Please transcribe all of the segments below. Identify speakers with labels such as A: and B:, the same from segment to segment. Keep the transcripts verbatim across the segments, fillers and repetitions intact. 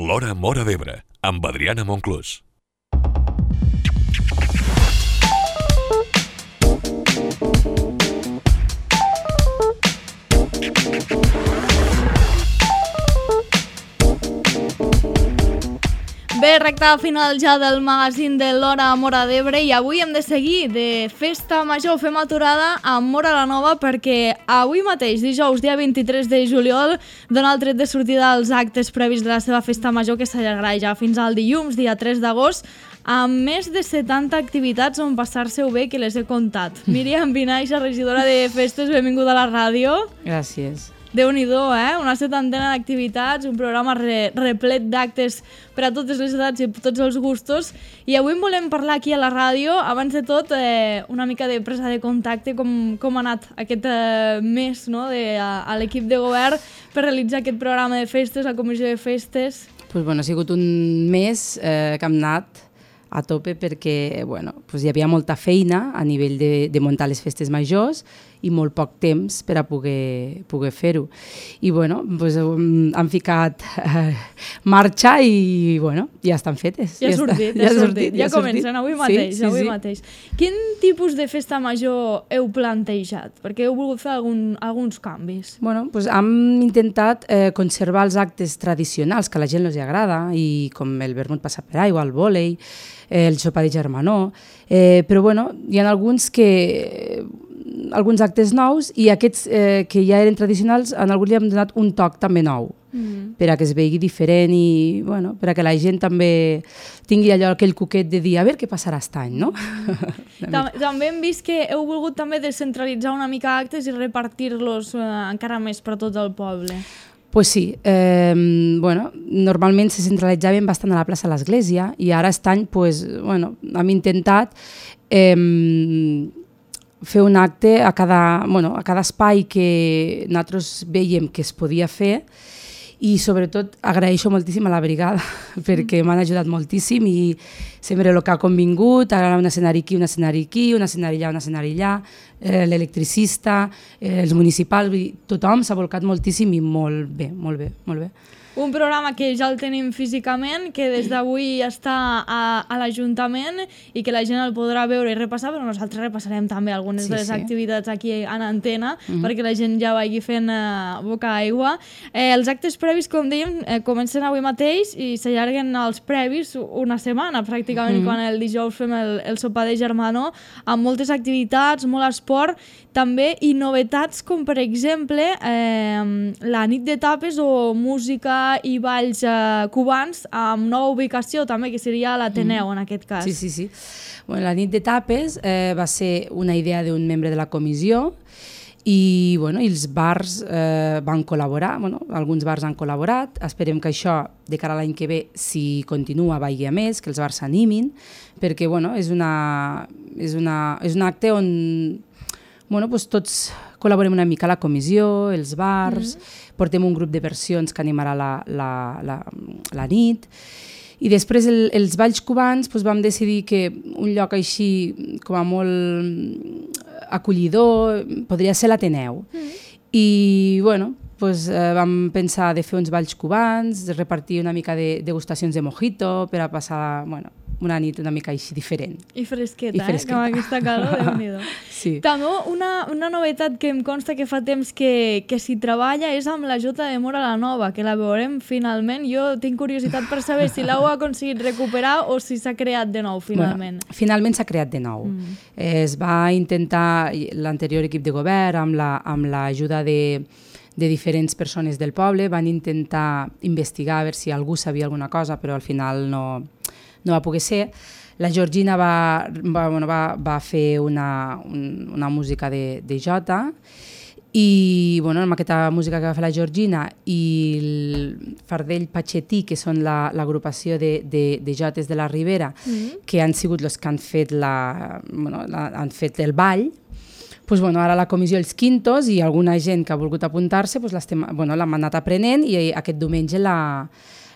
A: L'Hora Móra d'Ebre, amb Adriana Monclús.
B: Bé, recta final ja del magazín de l'Hora Móra d'Ebre i avui hem de seguir de festa major. Fem aturada a Móra la Nova perquè avui mateix, dijous, dia vint-i-tres de juliol, dona el tret de sortida als actes previs de la seva festa major que s'allargarà ja fins al dilluns, dia tres d'agost, amb més de setanta activitats on passar-se-ho bé, que les he comptat. Míriam Vinaixa, regidora de festes, benvinguda a la ràdio.
C: Gràcies.
B: Déu-n'hi-do, eh? Una setantena d'activitats, un programa re replet d'actes per a totes les edats i tots els gustos. I avui en volem parlar aquí a la ràdio. Abans de tot, eh, una mica de presa de contacte, com, com ha anat aquest eh, mes, no?, de, a, a l'equip de govern per realitzar aquest programa de festes, la comissió de festes.
C: Pues, bueno, ha sigut un mes eh, que hem anat a tope perquè bueno, pues hi havia molta feina a nivell de, de muntar les festes majors i molt poc temps per a poder, poder fer-ho. I bueno, pues, um, han ficat eh, marxa i bueno, ja estan fetes.
B: Ja ha sortit, ja, ja, sortit, ja, ja comencen sortit. avui mateix.
C: Sí, sí,
B: avui
C: sí.
B: mateix. Quin tipus de festa major heu plantejat? Perquè heu volgut fer algun, alguns canvis.
C: Bueno, pues hem intentat eh, conservar els actes tradicionals que a la gent els agrada, i com el vermut passat per aigua, el vòlei, eh, el sopar de germanor, eh, però bueno, hi ha alguns que alguns actes nous i aquests eh, que ja eren tradicionals, en alguns li hem donat un toc també nou, mm. per a que es vegi diferent i bueno, per a que la gent també tingui allò, aquell cuquet de dir a veure què passarà aquest any, no?
B: Tam també hem vist que heu volgut també descentralitzar una mica actes i repartir-los eh, encara més per tot el poble.
C: Pues sí, eh, bueno, normalment se centralitzaven bastant a la plaça de l'Església i ara aquest any pues, bueno, hem intentat eh, fer un acte a cada, bueno, a cada espai que nosaltres veiem que es podia fer, i sobretot agraeixo moltíssim a la brigada perquè m'han ajudat moltíssim i sempre el que ha convingut, ara un escenari aquí, un escenari aquí, un escenari allà, un escenari allà, eh, l'electricista, eh, els municipals, vull dir, tothom s'ha volcat moltíssim i molt bé, molt bé, molt bé.
B: Un programa que ja el tenim físicament, que des d'avui està a, a l'Ajuntament i que la gent el podrà veure i repassar, però nosaltres repassarem també algunes sí, de les sí. activitats aquí en antena, mm-hmm. perquè la gent ja vagi fent uh, boca aigua. Eh, els actes previs, com dèiem, eh, comencen avui mateix i s'allarguen els previs una setmana, pràcticament, mm-hmm. quan el dijous fem el, el sopar de germanor, amb moltes activitats, molt esport, també, i novetats com, per exemple, eh, la nit de tapes o música i balls eh, cubans amb nova ubicació també, que seria l'Ateneu, mm. en aquest cas.
C: Sí, sí, sí. Bueno, la nit de tapes eh, va ser una idea d'un membre de la comissió i, bueno, i els bars eh, van col·laborar, bueno, alguns bars han col·laborat, esperem que això de cara a l'any que ve, si continua, vagi a més, que els bars s'animin, perquè bueno, és, una, és, una, és un acte on bueno, doncs tots col·laborem una mica, la comissió, els bars, mm-hmm. portem un grup de versions que animarà la, la, la, la nit, i després el, els balls cubans doncs vam decidir que un lloc així com a molt acollidor podria ser l'Ateneu. Mm-hmm. I bueno, doncs, eh, vam pensar de fer uns balls cubans, de repartir una mica de degustacions de mojito per a passar, bueno, una nit una mica així diferent.
B: I fresqueta,
C: I fresqueta.
B: eh? Com aquesta calor, Déu-n'hi-do.
C: Sí.
B: També una, una novetat que em consta que fa temps que, que s'hi treballa és amb la Jota de Móra la Nova, que la veurem finalment. Jo tinc curiositat per saber si l'heu aconseguit recuperar o si s'ha creat de nou finalment.
C: Bueno, finalment s'ha creat de nou. Mm. Es va intentar l'anterior equip de govern amb la, amb l'ajuda de de diferents persones del poble, van intentar investigar a veure si algú sabia alguna cosa, però al final no, no va poder ser. La Georgina va, va, bueno, va, va fer una, un, una música de, de jota i bueno, amb aquesta música que va fer la Georgina i el Fardell Patxetí, que són l'agrupació la, de, de, de jotes de la Ribera, mm-hmm. que han sigut els que han fet, la, bueno, la, han fet el ball. Pues, bueno, ara la comissió Els Quintos i alguna gent que ha volgut apuntar-se pues, l'hem bueno, anat aprenent i aquest diumenge la,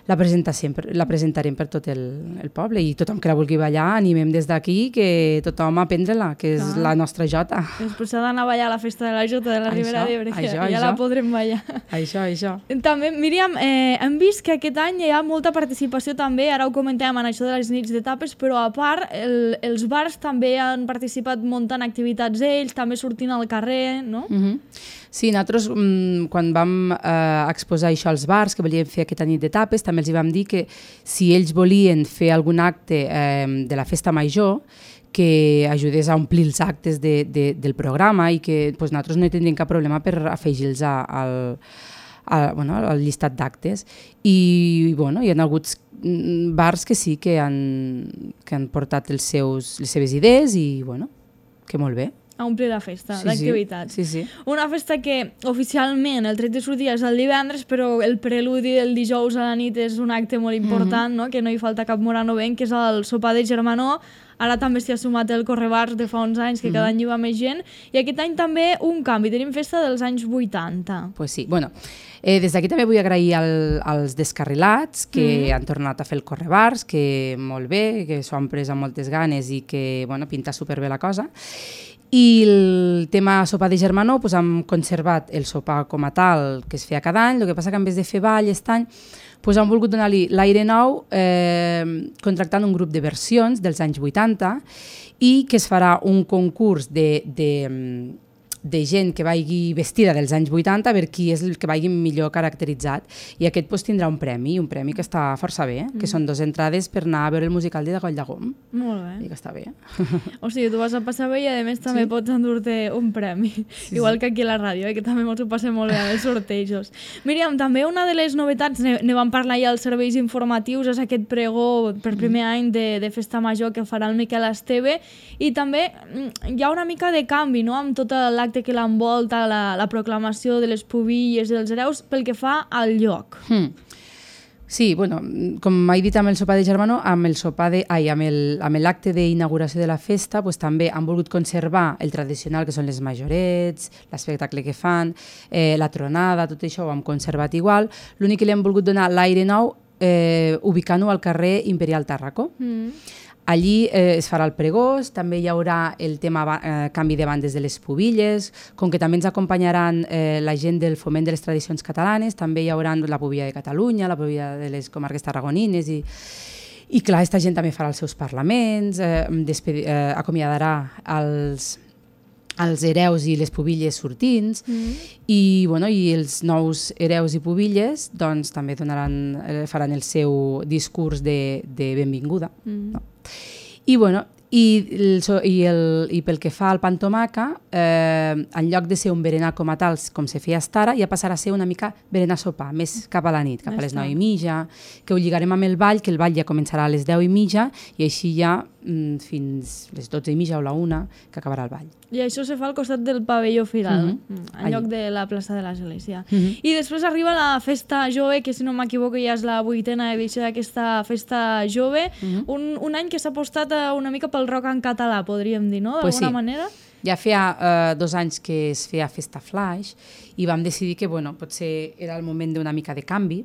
C: la, per, la presentarem per tot el, el poble i tothom que la vulgui ballar animem des d'aquí que tothom a aprendre-la, que és ah. la nostra jota.
B: Després s'ha d'anar a ballar a la festa de la jota de la Ribera d'Ebre, que ja això. La podrem ballar.
C: Això, això.
B: També, Míriam, eh, hem vist que aquest any hi ha molta participació també, ara ho comentàvem en això de les nits d'etapes, però a part el, els bars també han participat muntant activitats ells, també sortint al carrer, no?
C: Mm-hmm. Sí, nosaltres quan vam eh, exposar això als bars, que volíem fer aquesta nit d'etapes, també els vam dir que si ells volien fer algun acte eh, de la festa major, que ajudés a omplir els actes de, de, del programa i que pues, nosaltres no hi tindríem cap problema per afegir-los al, al, bueno, al llistat d'actes. I bueno, hi ha hagut bars que sí que han, que han portat els seus, les seves idees i bueno, que molt bé.
B: A omplir la festa sí, d'activitats.
C: Sí, sí.
B: Una festa que oficialment el tret de sortida és el divendres, però el preludi del dijous a la nit és un acte molt important, mm-hmm. no? Que no hi falta cap moranovenc, que és el sopar de germanor. Ara també s'hi ha sumat el correbars de fa uns anys, que mm-hmm. cada any hi va més gent. I aquest any també un canvi, tenim festa dels anys vuitanta.
C: Pues sí, bueno, eh, des d'aquí també vull agrair al, als descarrilats que mm-hmm. han tornat a fer el correbars, que molt bé, que s'ho han pres amb moltes ganes i que bueno, pinta superbé la cosa. I el tema sopar de germanor, doncs hem conservat el sopar com a tal que es feia cada any, el que passa que en vez de fer ball aquest any doncs hem volgut donar-li l'aire nou eh, contractant un grup de versions dels anys vuitanta i que es farà un concurs de, de, de gent que vagi vestida dels anys vuitanta a veure qui és el que vagi millor caracteritzat i aquest doncs, tindrà un premi, un premi que està força bé, mm. que són dues entrades per anar a veure el musical de Coll de Gom.
B: Molt bé.
C: I que està bé.
B: O sigui, tu vas a passar bé i a més també sí. Pots endur-te un premi, sí, igual sí. Que aquí a la ràdio, eh, que també ens ho passem molt bé als sortejos. Míriam, també una de les novetats, ne, ne vam parlar ja als serveis informatius, és aquest pregó per primer mm. any de, de Festa Major que farà el Miquel Esteve i també hi ha una mica de canvi, no?, amb tot l'acte que l'envolta, la, la proclamació de les pubilles dels hereus pel que fa al lloc.
C: Mm. Sí, bueno, com he dit amb el sopar de germanor, amb el sopar de, ai, amb el, amb l'acte d'inauguració de la festa, pues, també han volgut conservar el tradicional, que són les majorets, l'espectacle que fan, eh, la tronada, tot això ho hem conservat igual. L'únic que li hem volgut donar l'aire nou, eh, ubicant-ho al carrer Imperial Tàrraco. Mm. Allí eh, es farà el pregós, també hi haurà el tema eh, canvi de bandes de les pubilles, com que també ens acompanyaran eh, la gent del Foment de les Tradicions Catalanes, també hi haurà la pubilla de Catalunya, la pubilla de les comarques tarragonines i, i clar, aquesta gent també farà els seus parlaments, eh, eh, acomiadarà els... els hereus i les pubilles sortints mm. i, bueno, i els nous hereus i pubilles doncs, també donaran, faran el seu discurs de, de benvinguda. Mm. No? I, bueno, i, el, i, el, i pel que fa al pa amb tomaca, eh, en lloc de ser un berenar com a tal, com se feia fins ara, ja passarà a ser una mica berenar sopar, més cap a la nit, cap a les nou i mitja, que ho lligarem amb el ball, que el ball ja començarà a les deu i mitja i així ja mm, fins les dotze i mitja o la una, que acabarà el ball.
B: I això se fa al costat del pavelló Firal, mm-hmm. en Allí. Lloc de la plaça de l'Església. Mm-hmm. I després arriba la Festa Jove, que si no m'equivoco ja és la vuitena edició d'aquesta Festa Jove, mm-hmm. un, un any que s'ha apostat una mica pel rock en català, podríem dir, no? D'alguna
C: pues sí.
B: manera?
C: Ja feia uh, dos anys que es feia Festa Flash i vam decidir que bueno, potser era el moment d'una mica de canvi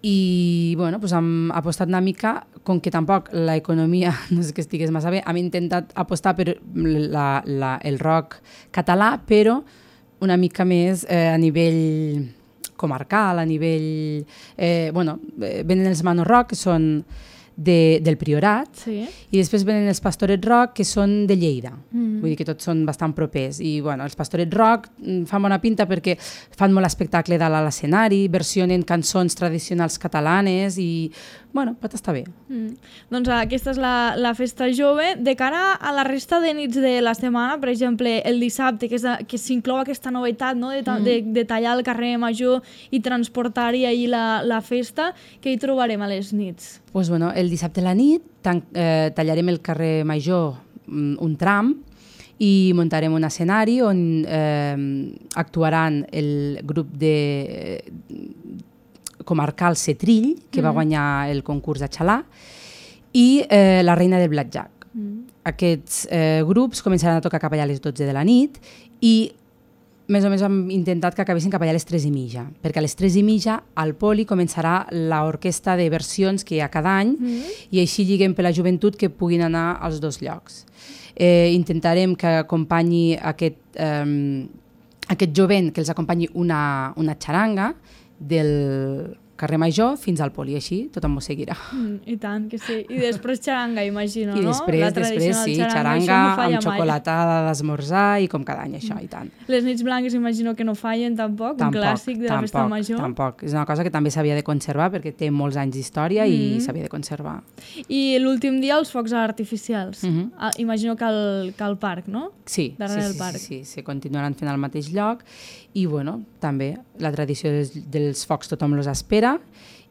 C: i bueno, pues hem apostat una mica, com que tampoc l'economia no és que estigués massa bé, hem intentat apostar per la, la, el rock català, però una mica més eh, a nivell comarcal, a nivell... Eh, bueno, venen els Mano Rock, que són de, del Priorat, sí. I després venen els Pastorets Rock, que són de Lleida. Mm. Vull dir que tots són bastant propers. I bueno, els Pastorets Rock fan bona pinta perquè fan molt espectacle dalt a l'escenari, versionen cançons tradicionals catalanes i bueno, pot estar bé.
B: Mm. Doncs aquesta és la, la Festa Jove. De cara a la resta de nits de la setmana, per exemple, el dissabte, que, és a, que s'inclou aquesta novetat, no? de, ta, mm. de, de tallar el carrer Major i transportar-hi ahir la, la festa, que hi trobarem a les nits?
C: Pues bueno, el dissabte a la nit tan, eh, tallarem el carrer Major un, un tram i muntarem un escenari on eh, actuaran el grup de... Eh, comarcal Setrill, que mm. va guanyar el concurs de Xalà, i eh, la Reina del Blackjack. Mm. Aquests eh, grups començaran a tocar cap allà a les dotze de la nit i més o menys hem intentat que acabessin cap allà a les tres i mitja, perquè a les tres i mitja al Poli començarà l'orquestra de versions que hi ha cada any mm. i així lliguem per la joventut que puguin anar als dos llocs. Eh, intentarem que acompanyi aquest, eh, aquest jovent, que els acompanyi una, una xaranga del carrer Major fins al Poli, així tothom m'ho seguirà.
B: Mm, I tant, que sí. I després xaranga, imagino,
C: I
B: no?
C: després,
B: La
C: després sí, xaranga, xaranga no amb xocolatada d'esmorzar i com cada any, això, mm. i tant.
B: Les nits blanques imagino que no fallen tampoc, tampoc un clàssic de la
C: tampoc,
B: festa major.
C: Tampoc, és una cosa que també s'havia de conservar perquè té molts anys d'història mm. i s'havia de conservar.
B: I l'últim dia els focs artificials. Mm -hmm. ah, imagino que al, que al parc, no?
C: Sí,
B: darrere
C: sí,
B: del
C: sí,
B: parc.
C: sí, sí, sí, continuaran fent al mateix lloc i bueno, també la tradició dels, dels focs tothom els espera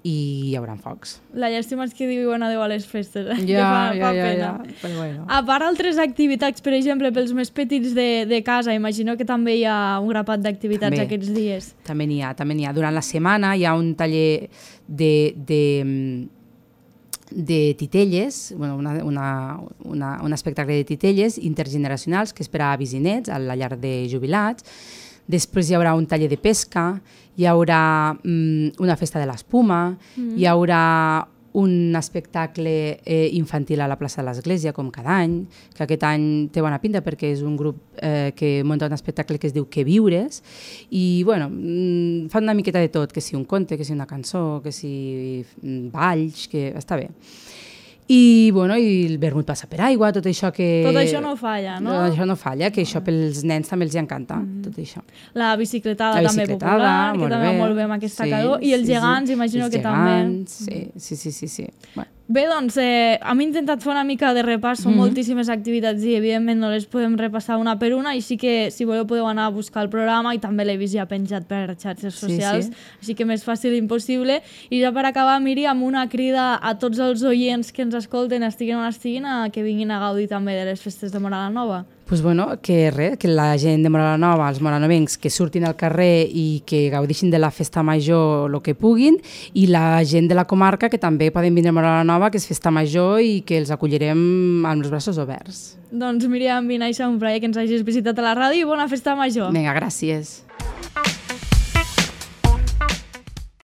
C: i hi haurà focs.
B: La llàstima és que diuen adeu a les festes, eh?
C: Ja,
B: que fa,
C: ja,
B: fa
C: ja,
B: pena.
C: ja, però bueno.
B: A part altres activitats, per exemple, pels més petits de, de casa, imagino que també hi ha un grapat d'activitats
C: també,
B: aquests dies.
C: També n'hi ha, també n'hi ha. Durant la setmana hi ha un taller de, de, de titelles, bueno, una, una, una, un espectacle de titelles intergeneracionals que és per a avis i nets a la llar de jubilats. Després hi haurà un taller de pesca, hi haurà mm, una festa de l'espuma, mm. hi haurà un espectacle eh, infantil a la plaça de l'Església, com cada any, que aquest any té bona pinta perquè és un grup eh, que munta un espectacle que es diu Que viures, i bueno, mm, fan una miqueta de tot, que si un conte, que si una cançó, que si balls, que està bé. I, bueno, i el vermut passa per aigua, tot això que...
B: Tot això no falla, no?
C: Tot això no falla, que això pels nens també els encanta, mm. tot això.
B: La bicicletada,
C: la
B: també
C: bicicletada
B: popular, que també va molt bé amb aquesta sí, calor. I els
C: sí,
B: gegants,
C: sí.
B: imagino
C: els
B: que
C: gegants,
B: també.
C: Sí, sí, sí, sí. Bueno.
B: Bé, doncs, eh, hem intentat fer una mica de repàs, són mm -hmm. moltíssimes activitats i evidentment no les podem repassar una per una, així que si voleu podeu anar a buscar el programa i també l'he vist ja penjat per xarxes socials, sí, sí. així que més fàcil impossible. I ja per acabar, Miri, amb una crida a tots els oients que ens escolten, estiguin on estiguin, a que vinguin a gaudir també de les festes de Móra la Nova.
C: Pues bueno, que res, que la gent de Móra la Nova, els moranovencs, que surtin al carrer i que gaudixin de la festa major el que puguin, i la gent de la comarca que també poden vindre a Móra la Nova, que és festa major i que els acollirem amb els braços oberts.
B: Doncs Míriam Vinaixa, un plaer que ens hagis visitat a la ràdio i bona festa major.
C: Vinga, gràcies.